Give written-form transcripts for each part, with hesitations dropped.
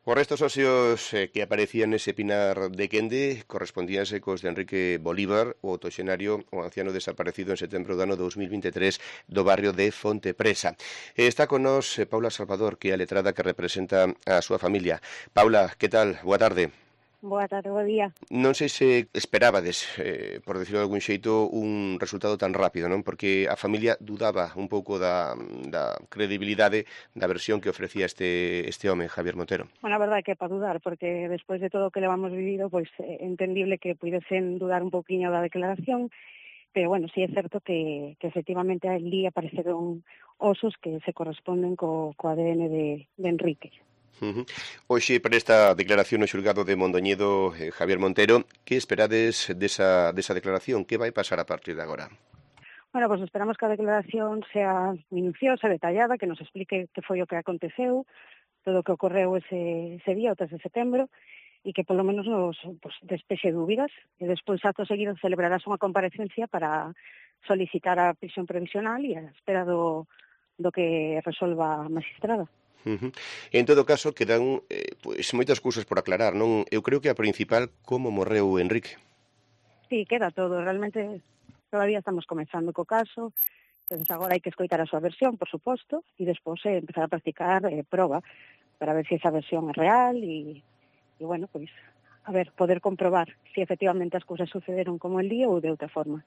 Os restos óseos que aparecían nese pinar de Quende correspondíanse cos de Enrique Bolívar, o octoxenario, o anciano desaparecido en setembro do ano 2023 do barrio de Fontepresa. Está con nós Paula Salvador, que é a letrada que representa a súa familia. Paula, que tal? Boa tarde. Boa tarde, bo día. Non sei se esperabades, por decirlo de algún xeito, un resultado tan rápido, non? Porque a familia dudaba un pouco da credibilidade da versión que ofrecía este home, Javier Montero. Bueno, a verdade é que é para dudar, porque despois de todo o que levamos vivido, pois é entendible que puidesen dudar un pouquiño da declaración, pero bueno, sí é certo que efectivamente ali apareceron osos que se corresponden co ADN de Enrique. Hoxe, para esta declaración no xulgado de Mondoñedo, Javier Montero, que esperades desa declaración? Que vai pasar a partir de agora? Bueno, pues esperamos que a declaración sea minuciosa, detallada, que nos explique que foi o que aconteceu, todo o que ocorreu ese día, o 3 de setembro, e que polo menos nos despexe dúbidas, e despois acto seguido celebrarás unha comparecencia para solicitar a prisión provisional e a espera do que resolva a magistrada. En todo caso, quedan moitas cousas por aclarar, non? Eu creo que a principal, como morreu Enrique. Sí, queda todo. Realmente todavía estamos comenzando co caso, entonces agora hai que escoitar a súa versión, por suposto, e despois empezar a practicar proba para ver se esa versión é real e bueno, pois, a ver, poder comprobar se efectivamente as cousas sucederon como el día ou de outra forma.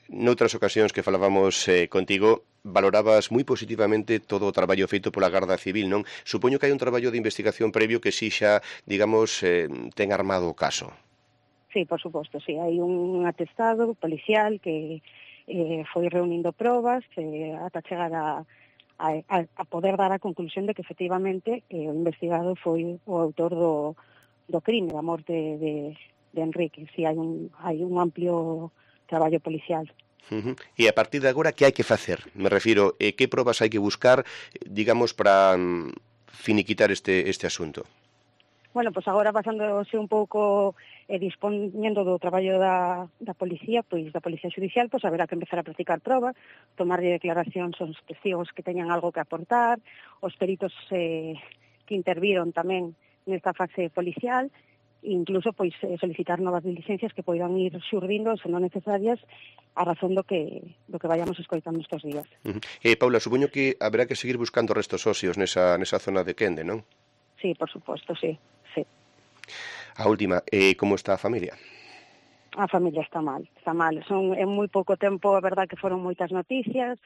Noutras ocasións que falábamos contigo, valorabas moi positivamente todo o traballo feito pola Garda Civil, non? Supoño que hai un traballo de investigación previo que si xa, digamos, ten armado o caso. Sí, por suposto, sí. Hai un atestado policial que foi reunindo probas ata chegar a poder dar a conclusión de que efectivamente o investigado foi o autor do crime, da morte de Enrique. Sí, hai un amplio traballo policial. E a partir de agora, que hai que facer? Me refiro, que probas hai que buscar, digamos, para finiquitar este asunto? Bueno, pois agora pasándose un pouco dispoñendo do traballo da policía, pois da policía judicial, pois haberá que empezar a practicar probas, tomarlle declaracións aos testigos que teñan algo que aportar, os peritos que interviron tamén nesta fase policial, incluso pois solicitar novas diligencias que poidan ir xurdindo, se non necesarias, a razón do que vayamos escoitando estes días. Paula, supoño que haberá que seguir buscando restos óseos nesa zona de Quende, non? Sí, por suposto, sí. A última, como está a familia? A familia está mal. En moi pouco tempo, a verdad que foron moitas noticias,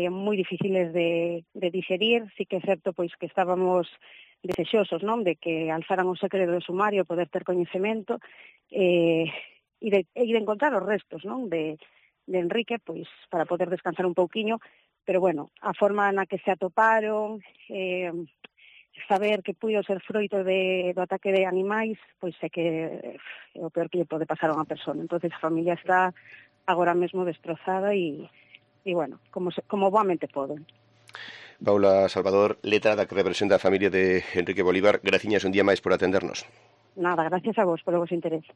moi difíciles de digerir, sí que é certo pois que estábamos desexosos, non, de que alzaran o secreto do sumario, poder ter coñecemento e de encontrar os restos, non, de Enrique, pois para poder descansar un pouquiño, pero bueno, a forma na que se atoparon, saber que puido ser froito do ataque de animais, pois é que é o peor que lle pode pasar a unha persona. Entonces a familia está agora mesmo destrozada e bueno, como boamente poden. Paula Salvador, letrada que representa a familia de Enrique Bolívar, graciñas un día máis por atendernos. Nada, gracias a vos polo vos interés.